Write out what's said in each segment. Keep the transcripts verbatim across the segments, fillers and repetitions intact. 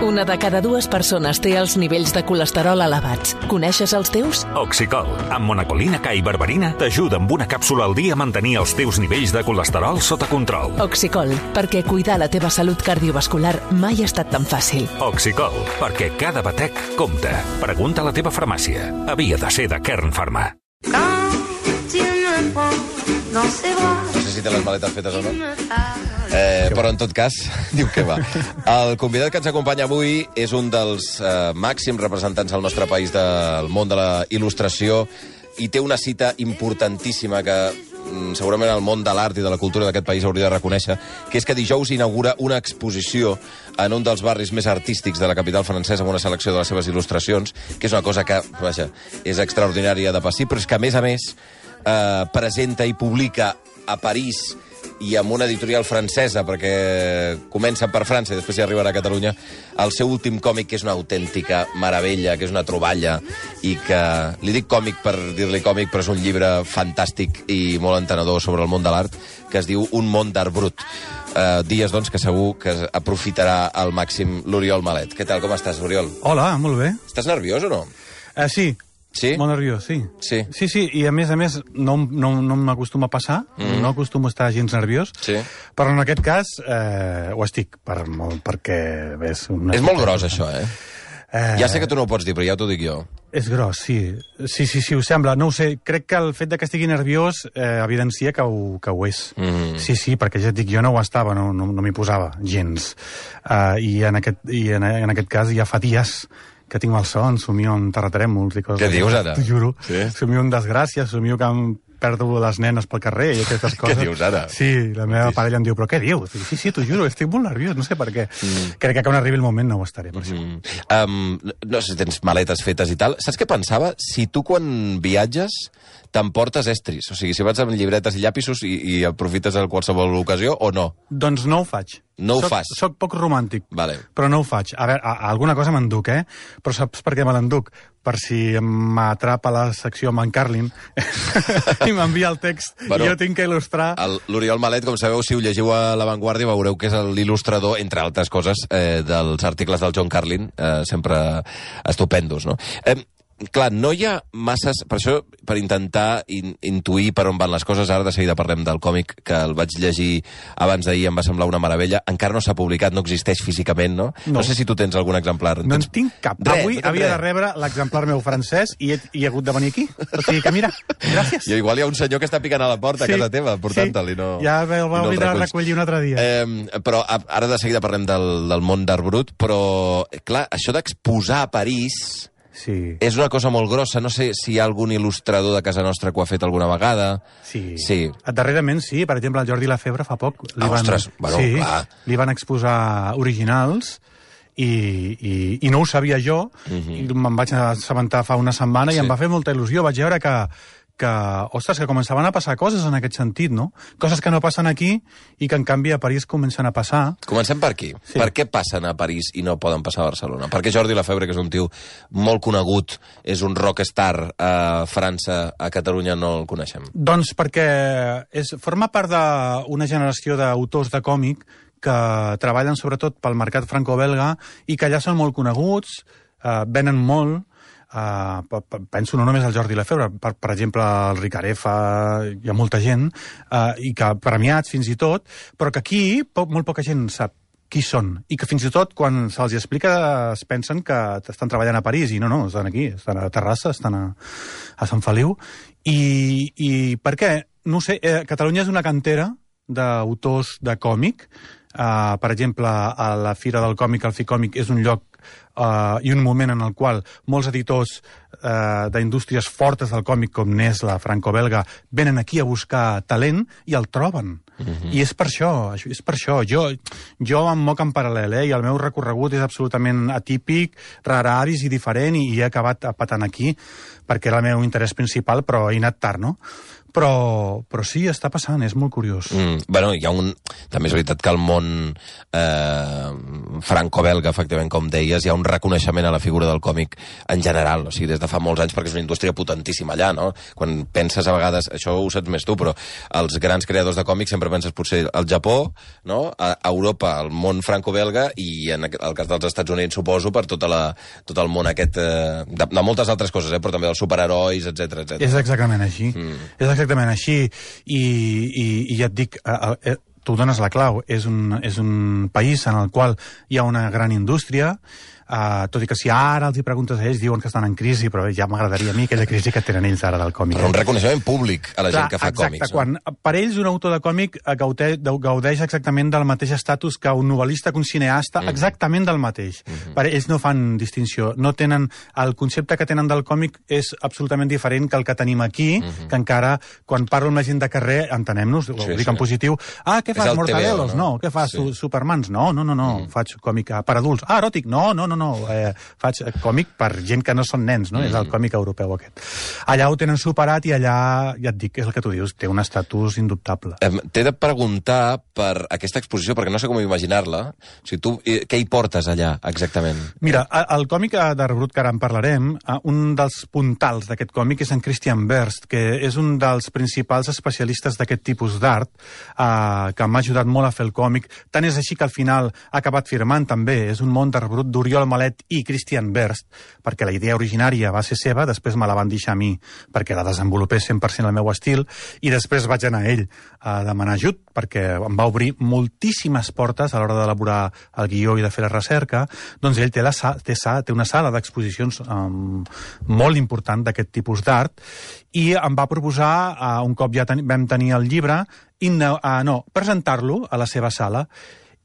Una de cada dues persones té els nivells de colesterol elevats. Coneixes els teus? Oxicol, amb monacolina K i berberina, t'ajuda amb una càpsula al dia a mantenir els teus nivells de colesterol sota control. Oxicol, perquè cuidar la teva salut cardiovascular mai ha estat tan fàcil. Oxicol, perquè cada batec compta. Pregunta a la teva farmàcia. Havia de ser de Kern Pharma. No sé si té les maletes fetes o no. Eh, però, en tot cas, diu que va. El convidat que ens acompanya avui és un dels eh, màxims representants al nostre país del món de la il·lustració i té una cita importantíssima que mm, segurament el món de l'art i de la cultura d'aquest país hauria de reconèixer, que és que dijous inaugura una exposició en un dels barris més artístics de la capital francesa amb una selecció de les seves il·lustracions, que és una cosa que, vaja, és extraordinària de per si, però és que, a més a més, eh, presenta i publica a París i amb una editorial francesa, perquè comença per França i després hi arribarà a Catalunya, el seu últim còmic, que és una autèntica meravella, que és una troballa, i que, li dic còmic per dir-li còmic, però és un llibre fantàstic i molt entenedor sobre el món de l'art, que es diu Un món d'art brut. Uh, dies, doncs, que segur que aprofitarà al màxim l'Oriol Malet. Què tal, com estàs, Oriol? Hola, molt bé. Estàs nerviós o no? Uh, sí. Sí? Molt nerviós, sí. Sí? Sí, sí, i a més a més no, no, no m'acostuma a passar, mm. no acostumo a estar gens nerviós, sí. Però en aquest cas eh, ho estic, per, molt, perquè... És, una és molt gros, això, eh? eh? Ja sé que tu no ho pots dir, però ja t'ho dic jo. És gros, sí. Sí, sí, sí, ho sembla. No ho sé, crec que el fet de que estigui nerviós eh, evidencia que ho, que ho és. Mm. Sí, sí, perquè ja et dic, jo no ho estava, no, no, no m'hi posava gens. Uh, I, en aquest, i en, en aquest cas ja fa dies que tinc mal son, somio en terratrèmols i coses. Què dius, ara? T'ho juro. Sí? Somio en desgràcia, somio que em perdo les nenes pel carrer i aquestes coses. Què dius, ara? Sí, la meva parella em diu, però què dius? Sí, sí, t'ho juro, estic molt nerviós, no sé per què. Mm. Crec que quan arribi el moment no ho estaré, per mm. això. Um, no sé si tens maletes fetes i tal. Saps què pensava? Si tu quan viatges t'emportes estris, o sigui, si vas amb llibretes i llapisos i, i aprofites a qualsevol ocasió o no? Doncs no ho faig. No ho soc, fas? Soc poc romàntic, vale. Però no ho faig. A veure, a, a alguna cosa m'enduc, eh? Però saps per què me l'enduc? Per si m'atrapa la secció amb en Carlin i m'envia el text bueno, i jo tinc que il·lustrar... L'Oriol Malet, com sabeu, si ho llegiu a La Vanguardia, veureu que és l'il·lustrador, entre altres coses, eh, dels articles del John Carlin, eh, sempre estupendos, no? Eh, Clar, no hi ha masses... Per això, per intentar in, intuir per on van les coses, ara de seguida parlem del còmic, que el vaig llegir abans d'ahir, em va semblar una meravella. Encara no s'ha publicat, no existeix físicament, no? No, no sé si tu tens algun exemplar. No en tens... tinc cap. Res, Avui no havia res. de rebre l'exemplar meu francès i he, i he hagut de venir aquí. O sigui que, mira, gràcies. I igual hi ha un senyor que està picant a la porta sí, a casa teva, portant-te'l, i no... Ja el va oblidar no recollir un altre dia. Eh, però ara de seguida parlem del, del món d'art brut, però, clar, això d'exposar a París... Sí. És una cosa molt grossa. No sé si hi ha algun il·lustrador de casa nostra que ho ha fet alguna vegada. Sí. sí. Darrerament sí. Per exemple, el Jordi Lafebre fa poc li, ah, van, ostres, bueno, sí, clar. li van exposar originals i, i, i no ho sabia jo. Uh-huh. Me'n vaig assabentar fa una setmana sí. i em va fer molta il·lusió. Vaig veure que, que, ostres, que començaven a passar coses en aquest sentit, no? Coses que no passen aquí i que, en canvi, a París comencen a passar. Comencem per aquí. Sí. Per què passen a París i no poden passar a Barcelona? Perquè Jordi Lafebre, que és un tio molt conegut, és un rockstar a França, a Catalunya no el coneixem? Doncs perquè és, forma part d'una generació d'autors de còmic que treballen sobretot pel mercat franco-belga i que allà són molt coneguts, eh, venen molt. Uh, penso no només al Jordi Lafebre, per, per exemple el Ricarefa, hi ha molta gent uh, i que premiats fins i tot, però que aquí poc, molt poca gent sap qui són, i que fins i tot quan se'ls explica es pensen que estan treballant a París, i no, no, estan aquí, estan a Terrassa, estan a, a Sant Feliu, i, i per què? No ho sé, eh, Catalunya és una cantera d'autors de còmic, uh, per exemple, a la Fira del Còmic, el Ficòmic, és un lloc Uh, i un moment en el qual molts editors uh, d'indústries fortes del còmic, com Nesla, franco-belga, venen aquí a buscar talent i el troben. Uh-huh. I és per això, és per això. Jo, jo em moc en paral·lel, eh, i el meu recorregut és absolutament atípic, rararis i diferent, i he acabat patant aquí, perquè era el meu interès principal, però he anat tard, no? Però, però sí, està passant, és molt curiós. Mm, bueno, hi ha un... També és veritat que el món eh, franco-belga, efectivament, com deies, hi ha un reconeixement a la figura del còmic en general, o sigui, des de fa molts anys, perquè és una indústria potentíssima allà, no? Quan penses a vegades, això ho saps més tu, però els grans creadors de còmics sempre penses potser al Japó, no? A Europa, el món franco-belga, i en el cas dels Estats Units, suposo, per tota la, tot el món aquest, eh, de, de moltes altres coses, eh, però també dels superherois, etcètera, etcètera. És exactament així. Mm. És exactament així. I, i, i ja et dic, eh, eh, tu dones la clau. És un, és un país en el qual hi ha una gran indústria, Uh, tot i que si ara els hi preguntes a ells diuen que estan en crisi, però ja m'agradaria a mi aquella crisi que tenen ells ara del còmic. Però un reconeixement públic a la Clar, gent que fa exacte, còmics. Quan, no? Per ells un autor de còmic gaudeix, gaudeix exactament del mateix estatus que un novel·lista, que un cineasta, mm. exactament del mateix. Mm -hmm. Per ells no fan distinció. No tenen, el concepte que tenen del còmic és absolutament diferent que el que tenim aquí, mm -hmm. que encara, quan parlo amb la gent de carrer, entenem-nos, sí, ho dic sí. en positiu, ah, què fas, Mortadelos? No? no. Què fas, sí. Supermans? No, no, no, no. Mm. Faig còmic per adults. Ah, eròtic? No, no, no, no. Eh, faig còmic per gent que no són nens, no? Mm. És el còmic europeu aquest. Allà ho tenen superat i allà, ja et dic, és el que tu dius, té un estatus indubtable. Eh, T'he de preguntar per aquesta exposició, perquè no sé com imaginar-la. O sigui, tu, què hi portes allà, exactament? Mira, el còmic d'Arbrut, que ara en parlarem, un dels puntals d'aquest còmic és en Christian Berst, que és un dels principals especialistes d'aquest tipus d'art, eh, que m'ha ajudat molt a fer el còmic. Tant és així que al final ha acabat firmant també. És un món d'Arbrut d'Oriol Malet i Christian Berst, perquè la idea originària va ser seva, després me la van deixar a mi perquè la desenvolupés cent per cent al meu estil, i després vaig anar a ell a demanar ajut, perquè em va obrir moltíssimes portes a l'hora d'elaborar el guió i de fer la recerca. Doncs ell té, la, té, té una sala d'exposicions um, molt important d'aquest tipus d'art, i em va proposar, uh, un cop ja ten, vam tenir el llibre, uh, no, presentar-lo a la seva sala.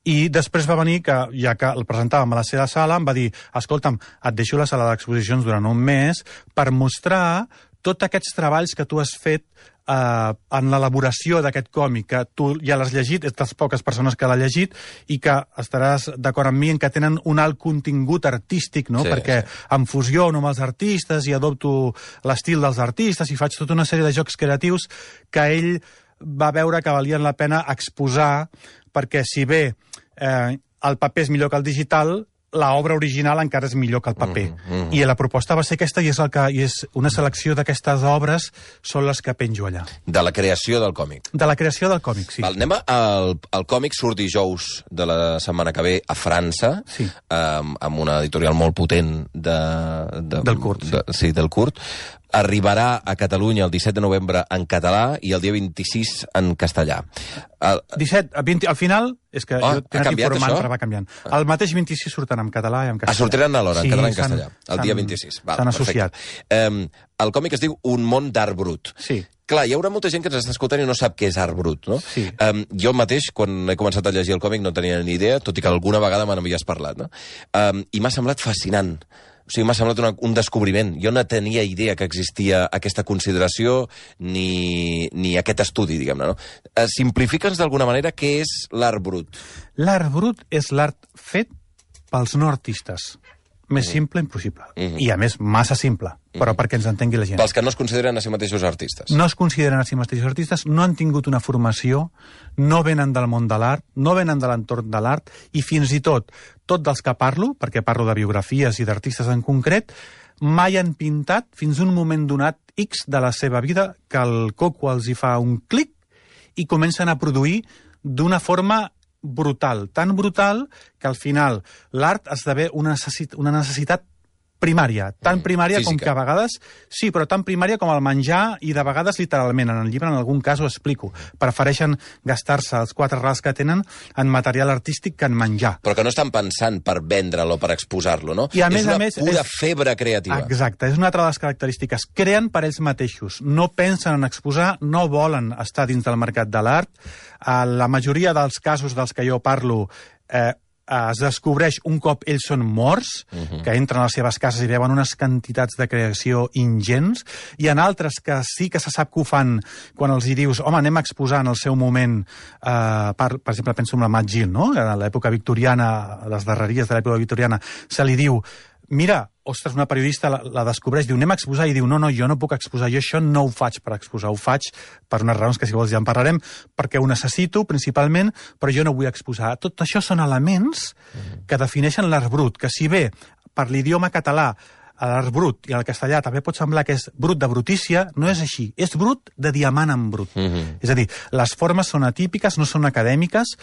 I després va venir, que ja que el presentàvem a la seva sala, em va dir, escolta'm, et deixo la sala d'exposicions durant un mes per mostrar tots aquests treballs que tu has fet eh, en l'elaboració d'aquest còmic, que tu ja l'has llegit, ets de les poques persones que l'ha llegit, i que estaràs d'acord amb mi en que tenen un alt contingut artístic, no? Sí, perquè sí. em fusiono amb els artistes i adopto l'estil dels artistes i faig tota una sèrie de jocs creatius que ell va veure que valien la pena exposar, perquè si bé eh, el paper és millor que el digital, l'obra original encara és millor que el paper. Mm -hmm. I la proposta va ser aquesta, i és, el que, i és una selecció d'aquestes obres són les que penjo allà. De la creació del còmic. De la creació del còmic, sí. Val, anem al, al còmic surt dijous de la setmana que ve a França, sí. amb, amb una editorial molt potent de, de, del curt. De, sí, del curt. Arribarà a Catalunya el disset de novembre en català i el dia vint-i-sis en castellà. El... disset, vint, al final, és que oh, jo tinc informant, però va canviant. El mateix vint-i-sis surten en català i en castellà. Ah, sortiran alhora, sí, en català i en castellà, el dia vint-i-sis. S'han associat. Um, el còmic es diu Un món d'art brut. Sí. Clar, hi haurà molta gent que ens està escoltant i no sap què és art brut, no? Sí. Um, jo mateix, quan he començat a llegir el còmic, no tenia ni idea, tot i que alguna vegada me n'havies parlat, no? Um, I m'ha semblat fascinant. O sigui, m'ha semblat una, un descobriment. Jo no tenia idea que existia aquesta consideració ni, ni aquest estudi, diguem-ne, no? Uh, Simplifica'ns d'alguna manera què és l'art brut. L'art brut és l'art fet pels no artistes. Més simple impossible. Mm -hmm. I, a més, massa simple, però mm -hmm. perquè ens entengui la gent. Pels que no es consideren a si mateixos artistes. No es consideren a si mateixos artistes, no han tingut una formació, no venen del món de l'art, no venen de l'entorn de l'art, i fins i tot, tot dels que parlo, perquè parlo de biografies i d'artistes en concret, mai han pintat fins un moment donat X de la seva vida que el coco els hi fa un clic i comencen a produir d'una forma brutal, tan brutal que al final l'art esdevé una, necessit una necessitat primària, tan primària Física. com que a vegades, sí, però tan primària com el menjar, i de vegades literalment, en el llibre en algun cas ho explico, prefereixen gastar-se els quatre rals que tenen en material artístic que en menjar. Però que no estan pensant per vendre'l o per exposar-lo, no? I a és més, una a més, pura és... febre creativa. Exacte, és una altra de les característiques. Creen per ells mateixos, no pensen en exposar, no volen estar dins del mercat de l'art. La majoria dels casos dels que jo parlo eh, es descobreix un cop ells són morts, uh-huh. que entren a les seves cases i veuen unes quantitats de creació ingents. Hi ha altres que sí que se sap que ho fan quan els hi dius, home, anem a exposar en el seu moment, eh, per, per exemple, penso en la Mat Gil, no? A l'època victoriana, a les darreries de l'època victoriana, se li diu, mira, ostres, una periodista la, la descobreix, diu, anem a exposar, i diu, no, no, jo no puc exposar, jo això no ho faig per exposar, ho faig per unes raons que si vols ja en parlarem, perquè ho necessito principalment, però jo no vull exposar. Tot això són elements que defineixen l'art brut, que si bé per l'idioma català l'art brut i el castellà també pot semblar que és brut de brutícia, no és així. És brut de diamant en brut. Mm-hmm. És a dir, les formes són atípiques, no són acadèmiques.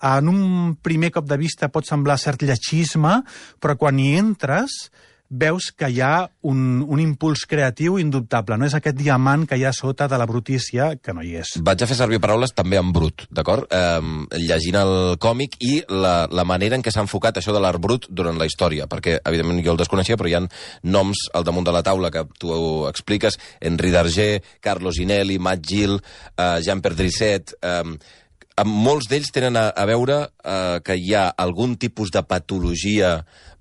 En un primer cop de vista pot semblar cert lletgisme, però quan hi entres veus que hi ha un, un impuls creatiu indubtable. No és aquest diamant que hi ha sota de la brutícia, que no hi és. Vaig a fer servir paraules també en brut, d'acord? Eh, llegint el còmic i la, la manera en què s'ha enfocat això de l'art brut durant la història, perquè, evidentment, jo el desconeixia, però hi ha noms al damunt de la taula que tu expliques, Henri Darger, Carlos Ginelli, Matt Gill, eh, Jean Perdricet... Eh, molts d'ells tenen a, a veure eh, que hi ha algun tipus de patologia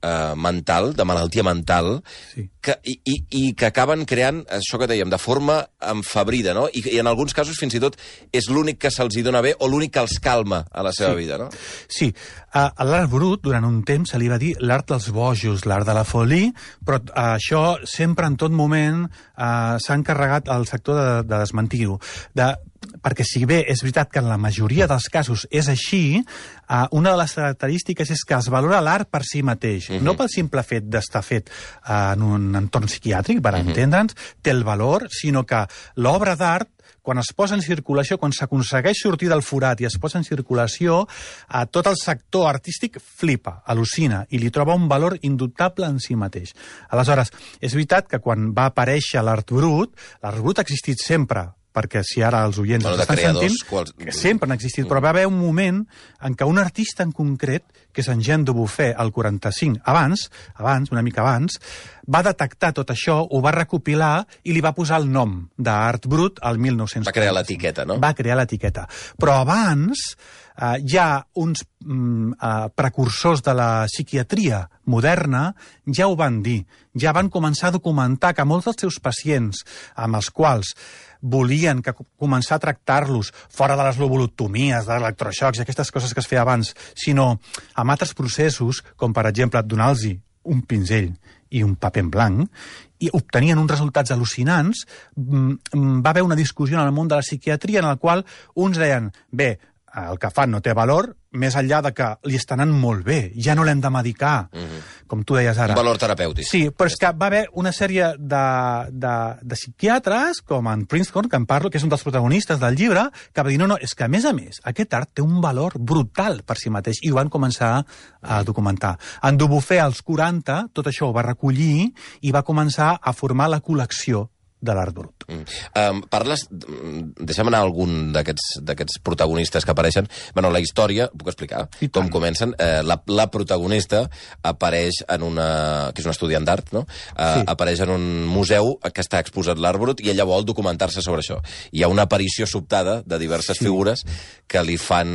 eh, mental, de malaltia mental, sí. que, i, i, i que acaben creant, això que dèiem, de forma enfebrida, no? I, i en alguns casos fins i tot és l'únic que se'ls hi dona bé o l'únic que els calma a la seva sí. vida, no? Sí. A, a l'art brut, durant un temps, se li va dir l'art dels bojos, l'art de la folie, però uh, això sempre, en tot moment, uh, s'ha encarregat al sector de, de desmentir-ho. De, perquè si bé és veritat que en la majoria dels casos és així, uh, una de les característiques és que es valora l'art per si mateix, uh-huh. no pel simple fet d'estar fet uh, en un entorn psiquiàtric, per uh-huh. entendre'ns, té el valor, sinó que l'obra d'art, quan es posa en circulació, quan s'aconsegueix sortir del forat i es posa en circulació, eh, tot el sector artístic flipa, al·lucina, i li troba un valor indubtable en si mateix. Aleshores, és veritat que quan va aparèixer l'art brut, l'art brut ha existit sempre, perquè si ara els oients bueno, estan creadors, sentint, quals... que sempre han existit, mm. però va haver un moment en què un artista en concret, que és en Jean Dubuffet, al quaranta-cinc, abans, abans, una mica abans, va detectar tot això, ho va recopilar i li va posar el nom d'art brut al mil nou-cents. Va crear l'etiqueta, no? Va crear l'etiqueta. Però abans eh, hi ha uns mm, eh, precursors de la psiquiatria moderna, ja ho van dir, ja van començar a documentar que molts dels seus pacients, amb els quals volien que començar a tractar-los fora de les lobotomies, de l'electroxocs i aquestes coses que es feia abans, sinó amb altres processos, com per exemple donar-los un pinzell i un paper en blanc, i obtenien uns resultats al·lucinants, va haver una discussió en el món de la psiquiatria en la qual uns deien, bé, el que fan no té valor, més enllà de que li està anant molt bé, ja no l'hem de medicar, mm-hmm. com tu deies ara. Un valor terapèutic. Sí, però és que va haver una sèrie de, de, de psiquiatres, com en Princeton, que en parlo, que és un dels protagonistes del llibre, que va dir, no, no, és que a més a més, aquest art té un valor brutal per si mateix, i ho van començar a documentar. En Dubuffet, als quaranta, tot això ho va recollir i va començar a formar la col·lecció de l'art brut. Mm. Um, parles... Deixa'm anar a algun d'aquests protagonistes que apareixen. Bueno, la història, puc explicar com comencen. Eh, la, la protagonista apareix en una... que és un estudiant d'art, no? Uh, sí. Apareix en un museu que està exposat l'art brut i ella vol documentar-se sobre això. Hi ha una aparició sobtada de diverses sí. figures que li fan...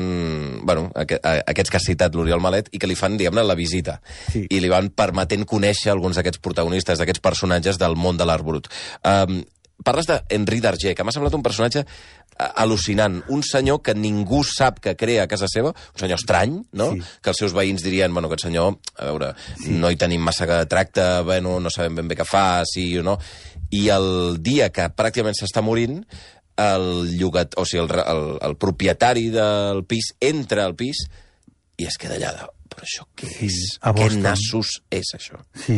Bueno, aqu aquests que has citat, l'Oriol Malet, i que li fan, diguem-ne, la visita. Sí. I li van permetent conèixer alguns d'aquests protagonistes, d'aquests personatges del món de l'art brut. Um, Parles d'Henri Darger, que m'ha semblat un personatge al·lucinant, un senyor que ningú sap que crea a casa seva, un senyor estrany, no? Sí. Que els seus veïns dirien, bueno, aquest senyor, a veure, sí. no hi tenim massa tracte, bueno, no sabem ben bé què fa, sí o no, i el dia que pràcticament s'està morint, el llogat, o sigui, el, el, el propietari del pis entra al pis i es queda allà. Però això què és? Sí, què nassos és això? Sí,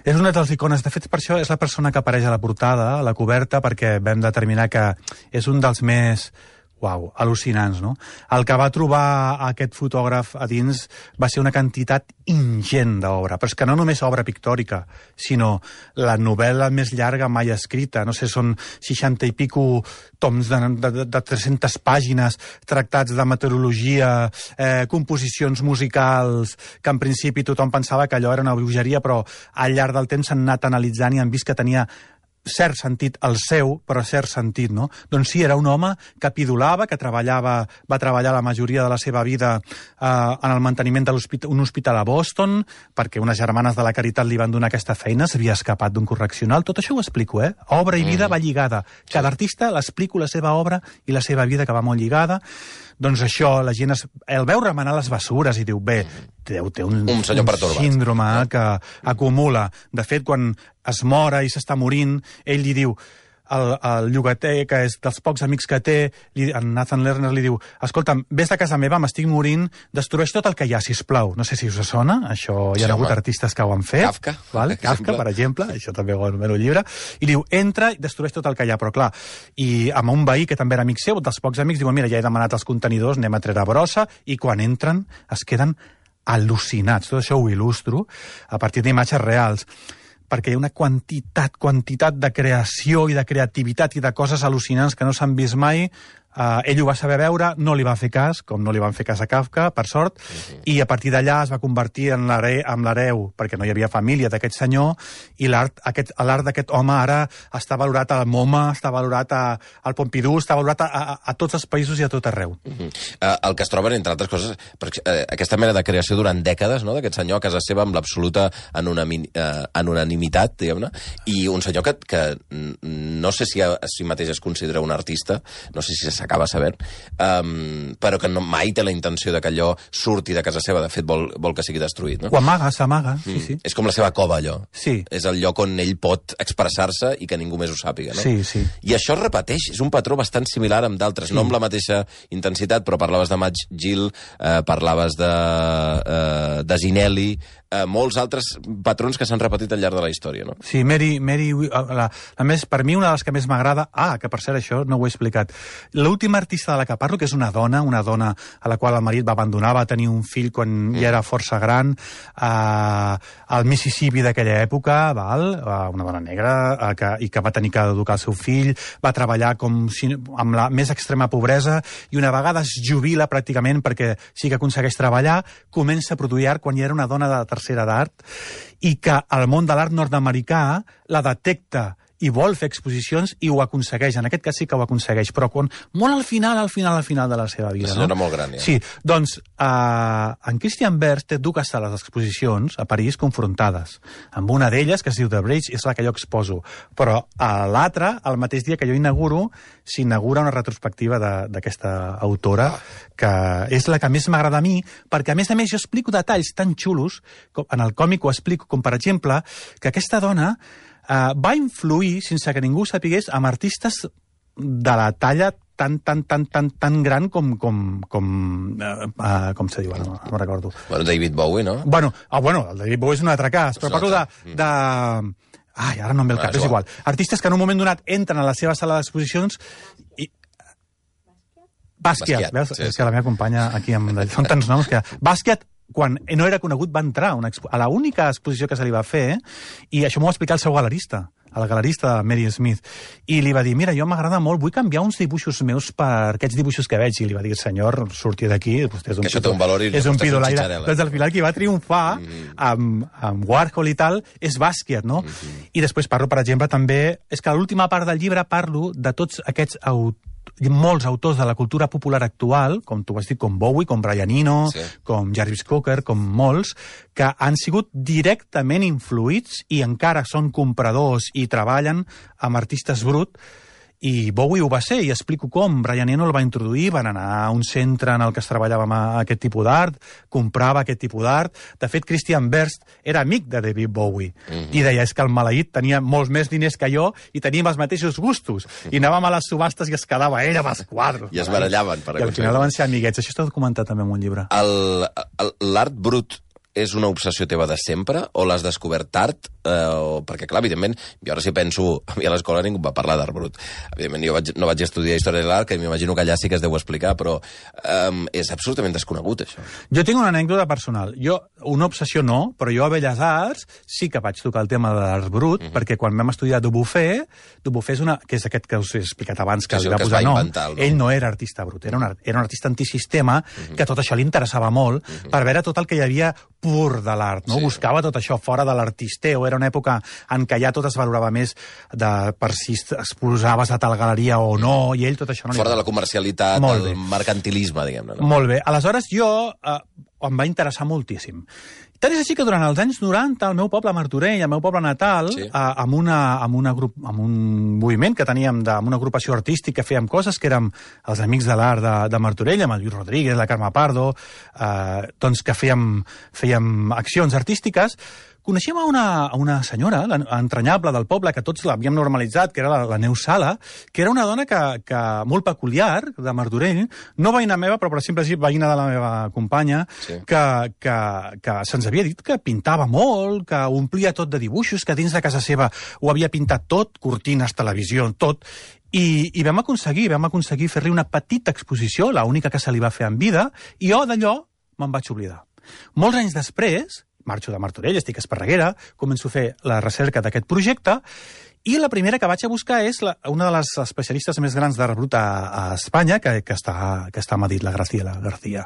és una de les icones. De fet, per això és la persona que apareix a la portada, a la coberta, perquè vam determinar que és un dels més... Uau, al·lucinants, no? El que va trobar aquest fotògraf a dins va ser una quantitat ingent d'obra, però és que no només obra pictòrica, sinó la novel·la més llarga mai escrita, no sé, són seixanta i pico toms de, de, de tres-centes pàgines tractats de meteorologia, eh, composicions musicals, que en principi tothom pensava que allò era una bruixeria, però al llarg del temps s'han anat analitzant i han vist que tenia cert sentit el seu, però cert sentit, no? Doncs sí, era un home que pidolava, que treballava, va treballar la majoria de la seva vida eh, en el manteniment d'un hospital, hospital a Boston, perquè unes germanes de la Caritat li van donar aquesta feina, s'havia escapat d'un correccional. Tot això ho explico, eh? Obra i vida mm. va lligada. Cada artista l'explico la seva obra i la seva vida, que va molt lligada. Doncs això, la gent es, el veu remenar les bessures i diu, bé, té, té un, un, senyor un síndrome no? que acumula. De fet, quan es mora i s'està morint, ell li diu, el, el llogater, que és dels pocs amics que té, li, en Nathan Lerner li diu, escolta'm, vés de casa meva, m'estic morint, destrueix tot el que hi ha, sisplau. No sé si us sona, això hi ha sí, hagut artistes que ho han fet. Kafka. Val? Kafka, per exemple, això també ho el llibre. I diu, entra i destrueix tot el que hi ha, però clar, i amb un veí que també era amic seu, dels pocs amics, diuen, mira, ja he demanat els contenidors, anem a treure brossa, i quan entren es queden al·lucinats. Tot això ho il·lustro a partir d'imatges reals, perquè hi ha una quantitat, quantitat de creació i de creativitat i de coses al·lucinants que no s'han vist mai. Uh, ell ho va saber veure, no li va fer cas, com no li van fer cas a Kafka, per sort, uh-huh. i a partir d'allà es va convertir en l'hereu, perquè no hi havia família d'aquest senyor, i l'art d'aquest home ara està valorat al MoMA, està valorat a, al Pompidou, està valorat a, a, a tots els països i a tot arreu. Uh-huh. uh, el que es troben, entre altres coses, perquè, uh, aquesta mena de creació durant dècades, no?, d'aquest senyor a casa seva amb l'absoluta anonimitat, uh, diguem-ne, i un senyor que, que no sé si a, a si mateix es considera un artista, no sé si s'acaba sabent, um, però que no, mai té la intenció de que allò surti de casa seva. De fet, vol, vol que sigui destruït, no? Ho amaga, s'amaga, sí, mm. sí. És com la seva cova, allò. Sí. És el lloc on ell pot expressar-se i que ningú més ho sàpiga, no? Sí, sí. I això es repeteix, és un patró bastant similar amb d'altres, sí. No amb la mateixa intensitat, però parlaves de Madge Gill, eh, parlaves de, eh, de Zinelli, eh, molts altres patrons que s'han repetit al llarg de la història, no? Sí, Mary, Mary la, la més, per mi una de les que més m'agrada, ah, que per cert això no ho he explicat, l'última artista de la que parlo, que és una dona, una dona a la qual el marit va abandonar, va tenir un fill quan mm. ja era força gran, eh, al Mississippi d'aquella època, val? Una dona negra, eh, que, i que va tenir que educar el seu fill, va treballar com si, amb la més extrema pobresa, i una vegada es jubila pràcticament perquè sí que aconsegueix treballar, comença a produir art quan ja era una dona de tercera d'art, i que el món de l'art nord-americà la detecta i vol fer exposicions i ho aconsegueix. En aquest cas sí que ho aconsegueix, però quan, molt al final, al final, al final de la seva vida. La senyora no? molt gran, ja. Sí, doncs eh, en Christian Berst té dues sales d'exposicions a París confrontades. Amb una d'elles, que es diu The Bridge, és la que jo exposo. Però a l'altra, el mateix dia que jo inauguro, s'inaugura una retrospectiva d'aquesta autora, que és la que més m'agrada a mi, perquè a més a més jo explico detalls tan xulos, com, en el còmic ho explico, com per exemple, que aquesta dona Uh, va influir, sense que ningú ho sapigués, amb artistes de la talla tan, tan, tan, tan, tan gran com, com, com, uh, uh, com se diu, no, no recordo. Bueno, David Bowie, no? Bueno, ah, bueno, el David Bowie és un altre cas, però parlo de... de... Ai, ara no em ve el cap, ah, és igual. Artistes que en un moment donat entren a la seva sala d'exposicions i... Basquiat, veus? Sí, és que la meva companya aquí amb... Són tants noms que... Basquiat, quan no era conegut, va entrar a, una expo a l'única exposició que se li va fer, i això m'ho va explicar el seu galerista, el galerista Mary Smith, i li va dir, mira, jo m'agrada molt, vull canviar uns dibuixos meus per aquests dibuixos que veig, i li va dir, senyor, surti d'aquí, vostè és un, pido, un valor i és un pidolaire. Doncs al final qui va triomfar mm -hmm. amb, amb Warhol i tal és Basquiat, no? Mm -hmm. I després parlo, per exemple, també, és que a l'última part del llibre parlo de tots aquests autors, molts autors de la cultura popular actual, com tu vas dir, com Bowie, com Brian Eno, sí. com Jarvis Cocker, com molts, que han sigut directament influïts i encara són compradors i treballen amb artistes brut. I Bowie ho va ser, i explico com. Brian Eno el va introduir, van anar a un centre en el que es treballava amb aquest tipus d'art, comprava aquest tipus d'art. De fet, Christian Berst era amic de David Bowie, mm-hmm. i deia, és que el maleït tenia molts més diners que jo i teníem els mateixos gustos. I anàvem a les subhastes i es quedava ell amb els quadres. I es barallaven. Per I al final van ser amiguets. Això està documentat també en un llibre. L'art brut és una obsessió teva de sempre o l'has descobert tard? Eh, o... Perquè, clar, evidentment, jo ara si penso... A mi a l'escola ningú va parlar d'art brut. Evidentment, jo vaig, no vaig estudiar Història de l'Art, que m'imagino que allà sí que es deu explicar, però eh, és absolutament desconegut, això. Jo tinc una anècdota personal. Jo, una obsessió no, però jo a Belles Arts sí que vaig tocar el tema de l'art brut, mm-hmm. perquè quan vam estudiar Dubuffet, Dubuffet és una... que és aquest que us he explicat abans, que, sí, li va que posar nom. Inventar, no? Ell no era artista brut, era un, art, era un artista antisistema, mm-hmm. que tot això li interessava molt, mm-hmm. per veure tot el que hi havia pur de l'art, no? Sí. Buscava tot això fora de l'artisteo. Era una època en què ja tot es valorava més de per si exposaves a tal galeria o no, i ell tot això no... Fora de la comercialitat, el mercantilisme, diguem-ne. No? Molt bé. Aleshores, jo eh, em va interessar moltíssim. Tant és així que durant els anys noranta, el meu poble Martorell, el meu poble natal, sí. eh, amb, una, amb, una grup, amb un moviment que teníem, de, amb una agrupació artística, fèiem coses que érem els Amics de l'Art de, de Martorell, amb el Lluís Rodríguez, la Carme Pardo, eh, doncs que fèiem, fèiem accions artístiques. Coneixíem a una, a una senyora, l'entranyable del poble, que tots l'havíem normalitzat, que era la, la Neus Sala, que era una dona que, que molt peculiar, de Martorell, no veïna meva, però per exemple veïna de la meva companya, sí. que, que, que se'ns havia dit que pintava molt, que omplia tot de dibuixos, que dins de casa seva ho havia pintat tot, cortines, televisió, tot, i, i vam aconseguir, vam aconseguir fer-li una petita exposició, l'única que se li va fer en vida, i jo d'allò me'n vaig oblidar. Molts anys després, marxo de Martorell, estic a Esparreguera, començo a fer la recerca d'aquest projecte, i la primera que vaig a buscar és la, una de les especialistes més grans d'art brut a, a Espanya, que, que, està, que està a Madrid, la Graciela García.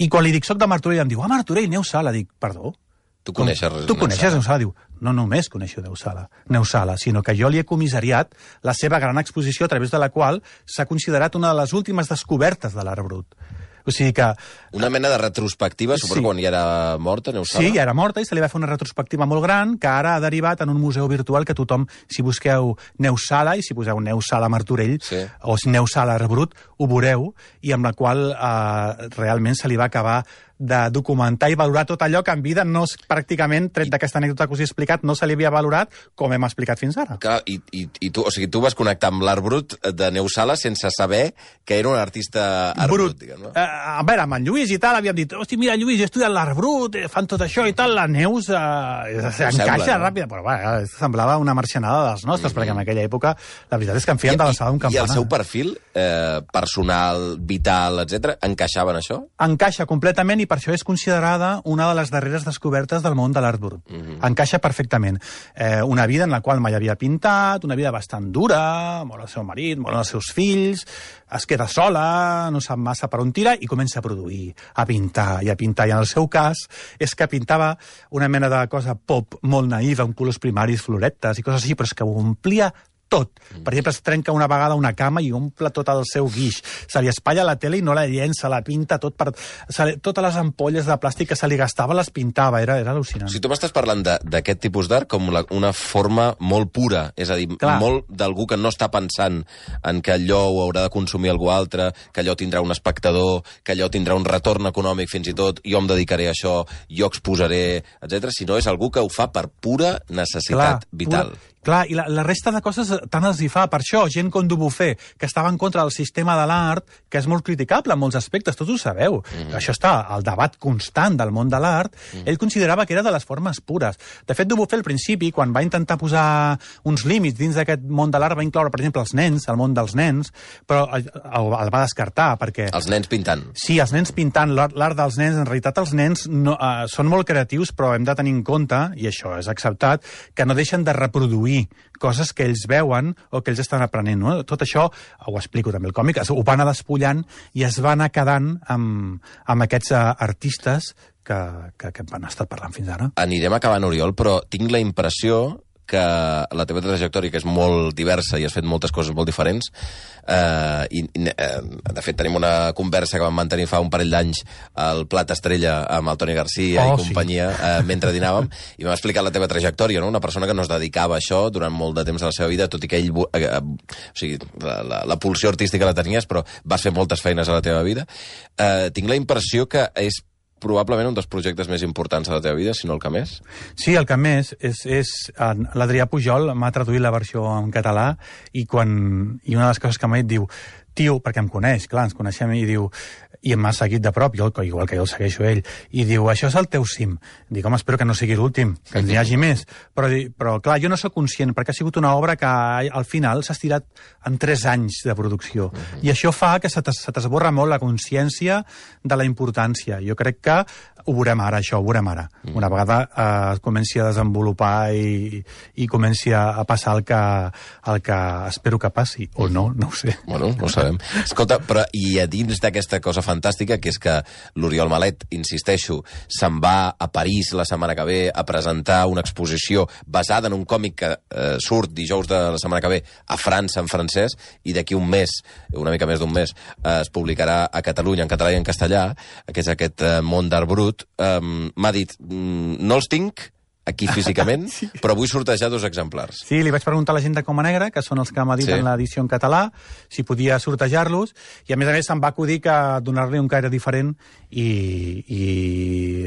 I quan li dic, soc de Martorell, em diu, ah, Martorell, Neus Sala. Dic, perdó? Tu coneixes Tu coneixes Neus Sala? Diu, no només coneixo Neus Sala, Neus Sala, sinó que jo li he comissariat la seva gran exposició a través de la qual s'ha considerat una de les últimes descobertes de l'art brut. O sigui que... Una mena de retrospectiva, suposo, sí. quan ja era morta, Neus Sala? Sí, ja era morta i se li va fer una retrospectiva molt gran que ara ha derivat en un museu virtual que tothom, si busqueu Neus Sala i si poseu Neus Sala Martorell sí. o Neus Sala Art Brut, ho veureu, i amb la qual eh, realment se li va acabar de documentar i valorar tot allò que en vida no, pràcticament, tret d'aquesta anècdota que us he explicat, no se li havia valorat com hem explicat fins ara. Clar, i, i, i tu, o sigui, tu vas connectar amb l'art brut de Neus Sala sense saber que era un artista art brut, brut diguem, no? Eh, a veure, amb en Lluís i tal, havíem dit, hosti, mira, Lluís, he estudiat l'art brut, fan tot això i tal, la Neus eh, encaixa no? ràpida, però va, semblava una marxanada dels nostres, mm-hmm. perquè en aquella època la veritat és que en feien de l'alçada d'un campanar. I el seu perfil eh, personal, vital, etcètera, encaixava en això? Encaixa completament, i per això és considerada una de les darreres descobertes del món de l'art brut. Mm-hmm. Encaixa perfectament. Eh, una vida en la qual mai havia pintat, una vida bastant dura, mor el seu marit, moren els seus fills, es queda sola, no sap massa per on tira, i comença a produir, a pintar i a pintar. I en el seu cas és que pintava una mena de cosa pop molt naïva, amb colors primaris, floretes i coses així, però és que ho omplia tot. Per exemple, es trenca una vegada una cama i omple tot el seu guix. Se li espatlla la tele i no la llença, la pinta tot per... Li... Totes les ampolles de plàstic que se li gastava les pintava, era, era al·lucinant. Si tu m'estàs parlant d'aquest tipus d'art com la, una forma molt pura, és a dir, clar, molt d'algú que no està pensant en que allò ho haurà de consumir algú altre, que allò tindrà un espectador, que allò tindrà un retorn econòmic fins i tot, jo em dedicaré a això, jo exposaré, etcètera, sinó és algú que ho fa per pura necessitat clar, vital. Pura... Clar, i la, la resta de coses tant els hi fa. Per això, gent com Dubuffet, que estava en contra del sistema de l'art, que és molt criticable en molts aspectes, tots ho sabeu. Mm-hmm. Això està al debat constant del món de l'art. Mm-hmm. Ell considerava que era de les formes pures. De fet, Dubuffet, al principi, quan va intentar posar uns límits dins d'aquest món de l'art, va incloure, per exemple, els nens, el món dels nens, però el, el va descartar, perquè... Els nens pintant. Sí, els nens pintant. L'art dels nens, en realitat, els nens no, uh, són molt creatius, però hem de tenir en compte, i això és acceptat, que no deixen de reproduir coses que ells veuen o que ells estan aprenent. No? Tot això, ho explico també al còmic, ho va anar despullant i es va anar quedant amb, amb aquests uh, artistes que, que, que van estar parlant fins ara. Anirem acabant, Oriol, però tinc la impressió que la teva trajectòria, que és molt diversa i has fet moltes coses molt diferents, eh, i, eh, de fet tenim una conversa que vam mantenir fa un parell d'anys al Plat Estrella amb el Toni Garcia oh, i companyia, sí. eh, mentre dinàvem, i m'ha explicat la teva trajectòria, no? Una persona que no es dedicava a això durant molt de temps de la seva vida, tot i que ell, eh, eh, o sigui, la, la, la pulsió artística la tenies, però vas fer moltes feines a la teva vida. Eh, tinc la impressió que és probablement un dels projectes més importants de la teva vida, si no el que més. Sí, el que més és... és l'Adrià Pujol m'ha traduït la versió en català i, quan, i una de les coses que m'ha dit diu, tio, perquè em coneix, clar, ens coneixem, i diu, i m'ha seguit de prop, jo, igual que jo el segueixo ell, i diu, això és el teu cim. Dic, home, espero que no sigui l'últim, que n'hi hagi més. Però, però, clar, jo no sóc conscient, perquè ha sigut una obra que al final s'ha estirat en tres anys de producció. Uh-huh. I això fa que se t'esborra molt la consciència de la importància. Jo crec que ho veurem ara, això, ho veurem ara. Uh-huh. Una vegada eh, es comenci a desenvolupar i, i comenci a passar el que, el que espero que passi, o no, no ho sé. Bueno, no ho sabem. Escolta, però i a dins d'aquesta cosa fantàstica, que és que l'Oriol Malet, insisteixo, se'n va a París la setmana que ve a presentar una exposició basada en un còmic que eh, surt dijous de la setmana que ve a França en francès, i d'aquí un mes, una mica més d'un mes, eh, es publicarà a Catalunya en català i en castellà, que és aquest eh, món d'art brut. Brut, um, m'ha dit, mm, no els tinc aquí físicament, sí. però vull sortejar dos exemplars. Sí, li vaig preguntar a la gent de Coma Negra, que són els que m'editen sí. l'edició en català, si podia sortejar-los, i a més a més se'm va acudir que donar-li un caire diferent i, i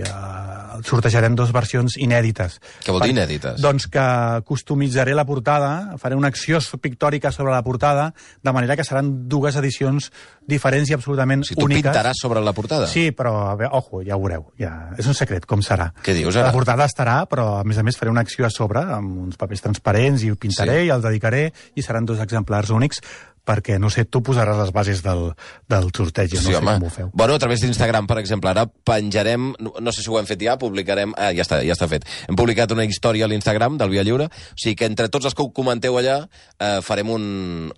uh, sortejarem dues versions inèdites. Què vol dir inèdites? Doncs que customitzaré la portada, faré una acció pictòrica sobre la portada, de manera que seran dues edicions diferents i absolutament si tu úniques. Tu pintaràs sobre la portada? Sí, però, a veure, ojo, ja ho veureu. Ja, és un secret, com serà. Què dius, ara? La portada estarà, però a més a més faré una acció a sobre amb uns papers transparents i ho pintaré sí. i el dedicaré i seran dos exemplars únics perquè, no sé, tu posaràs les bases del, del sorteig, jo no sí, sé home. com ho feu. Bueno, a través d'Instagram, per exemple, ara penjarem, no, no sé si ho hem fet ja, publicarem... Ah, ja està, ja està fet. Hem publicat una història a l'Instagram del Via Lliure, o sigui que entre tots els que ho comenteu allà eh, farem un,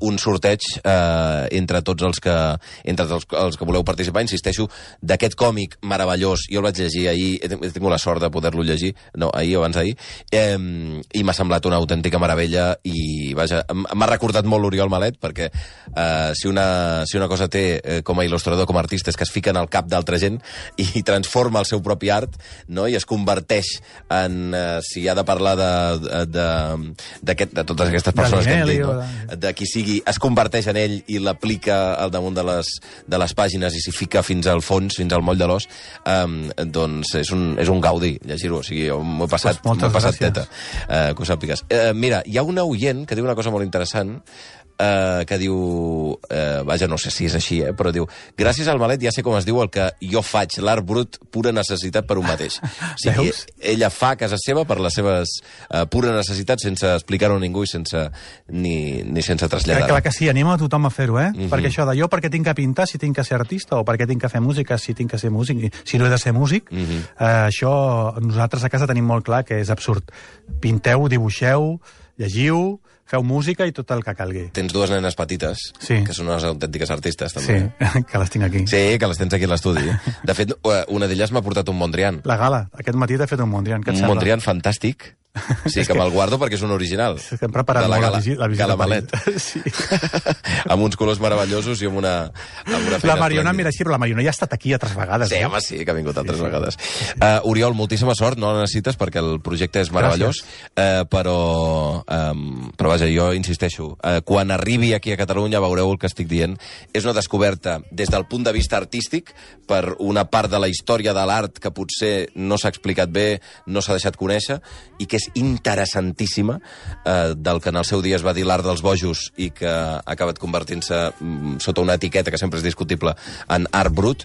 un sorteig eh, entre tots els que entre tots els que voleu participar. Insisteixo, d'aquest còmic meravellós, jo el vaig llegir ahir, he tingut la sort de poder-lo llegir, no, ahir o abans d'ahir, eh, i m'ha semblat una autèntica meravella i, vaja, m'ha recordat molt l'Oriol Malet, perquè Uh, si, una, si una cosa té uh, com a il·lustrador, com a artista, és que es fica en el cap d'altra gent i, i transforma el seu propi art, no? I es converteix en, uh, si ha de parlar de, de, de, de totes aquestes persones que hem dit, no? de... de qui sigui, es converteix en ell i l'aplica al damunt de les, de les pàgines i s'hi fica fins al fons, fins al moll de l'os, um, doncs és un, és un gaudi llegir-ho, o sigui, m'ho he passat, pues m'ho he passat teta, uh, que ho sàpigues. Uh, mira, hi ha un oient que diu una cosa molt interessant, Uh, que diu, uh, vaja, no sé si és així, eh, però diu, gràcies al Malet ja sé com es diu el que jo faig, l'art brut, pura necessitat per un mateix. O sigui, ella fa a casa seva per les seves uh, pura necessitats, sense explicar-ho a ningú i sense, ni, ni sense traslladar. Clar que sí, anima a tothom a fer-ho, eh? Mm-hmm. Perquè això de jo perquè tinc que pintar si tinc que ser artista, o perquè tinc que fer música si tinc que ser músic, si no he de ser músic, mm-hmm. uh, això nosaltres a casa tenim molt clar que és absurd. Pinteu, dibuixeu, llegiu, feu música i tot el que calgui. Tens dues nenes petites, sí. que són unes autèntiques artistes, també. Sí, que les tinc aquí. Sí, que les tens aquí a l'estudi. De fet, una d'elles m'ha portat un Mondrian. La Gala. Aquest matí t'ha fet un Mondrian. Un Mondrian fantàstic. Sí, que, que me'l guardo perquè és un original. És que hem preparat la molt gala, la, visi la visita. Gala Malet. Sí. Amb uns colors meravellosos i amb una, amb una feina La Mariona, esplèndida. mira, sí, però la Mariona ja ha estat aquí altres vegades. Sí, eh? home, sí, que ha vingut altres sí, sí. vegades. Uh, Oriol, moltíssima sort, no la necessites perquè el projecte és meravellós, uh, però, um, però vaja, jo insisteixo, uh, quan arribi aquí a Catalunya veureu el que estic dient. És una descoberta des del punt de vista artístic per una part de la història de l'art que potser no s'ha explicat bé, no s'ha deixat conèixer, i que és interessant eh, del que en el seu dia es va dir l'art dels bojos i que ha acabat convertint-se mm, sota una etiqueta que sempre és discutible en art brut,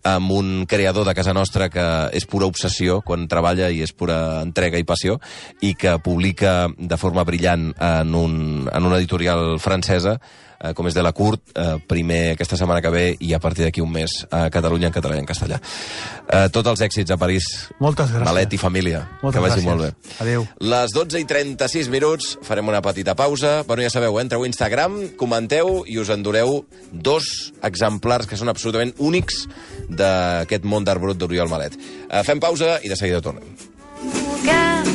amb un creador de casa nostra que és pura obsessió quan treballa i és pura entrega i passió i que publica de forma brillant en, un, en una editorial francesa eh, com és de la Court, eh, primer aquesta setmana que ve i a partir d'aquí un mes a Catalunya en català i en castellà. Eh, tots els èxits a París. Moltes gràcies. Malet i família. Moltes que vagi gràcies. molt bé. Adéu. Les dotze i trenta-sis minuts, farem una petita pausa. Bueno, ja sabeu, eh? Entreu a Instagram, comenteu i us endureu dos exemplars que són absolutament únics d'aquest món d'art brut d'Oriol Malet. Eh, fem pausa i de seguida tornem.